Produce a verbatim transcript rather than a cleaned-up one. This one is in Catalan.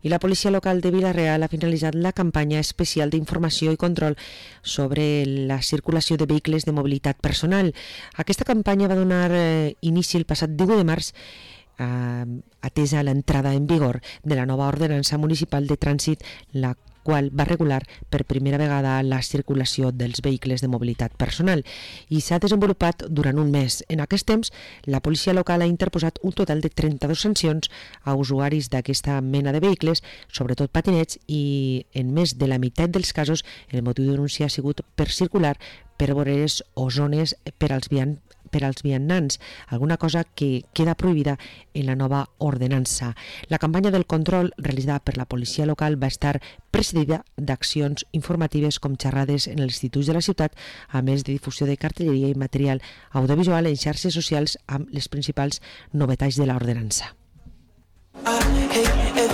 I la policia local de Vila-real ha finalitzat la campanya especial d'informació i control sobre la circulació de vehicles de mobilitat personal. Aquesta campanya va donar eh, inici el passat divuit de març, eh, atesa l'entrada en vigor de la nova ordenança municipal de trànsit, la qual va regular per primera vegada la circulació dels vehicles de mobilitat personal i s'ha desenvolupat durant un mes. En aquest temps, la policia local ha interposat un total de trenta-dues sancions a usuaris d'aquesta mena de vehicles, sobretot patinets, i en més de la meitat dels casos el motiu de denúncia ha sigut per circular per voreres o zones per als vianants per als vianants, alguna cosa que queda prohibida en la nova ordenança. La campanya del control realitzada per la policia local va estar precedida d'accions informatives com xerrades en els instituts de la ciutat, a més de difusió de cartelleria i material audiovisual en xarxes socials amb les principals novetats de l'ordenança. I hate